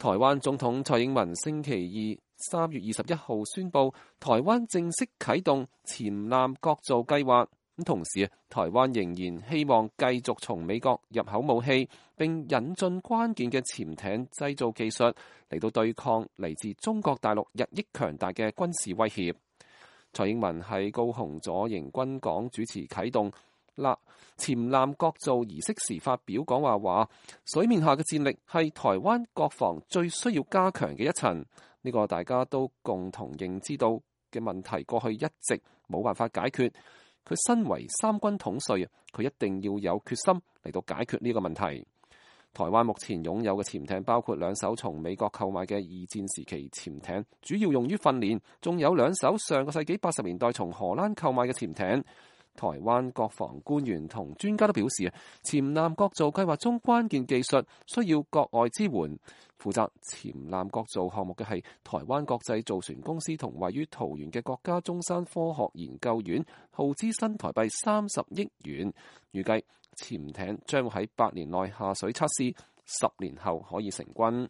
台灣總統蔡英文星期二3月21號宣布，台灣正式啟動潛艦國造計劃。同時，台灣仍然希望繼續從美國入口武器，並引進關鍵嘅潛艇製造技術嚟到對抗嚟自中國大陸日益強大嘅軍事威脅。蔡英文喺高雄左營軍港主持啟動潛艦國造儀式時發表講話，話水面下嘅戰力係台灣國防最需要加強嘅一層。呢個大家都共同認知到嘅問題，過去一直冇辦法解決。佢身為三軍統帥，佢一定要有決心嚟到解決呢個問題。台灣目前擁有嘅潛艇包括2艘從美國購買嘅二戰時期潛艇，主要用於訓練，仲有2艘上個世紀80年代從荷蘭購買嘅潛艇。台灣國防官員同專家都表示，潛艦國造計劃中關鍵技術需要國外支援。負責潛艦國造項目嘅係台灣國際造船公司同位於桃園嘅國家中山科學研究院，耗資新台幣30億元。預計潛艇將會喺8年內下水測試，10年後可以成軍。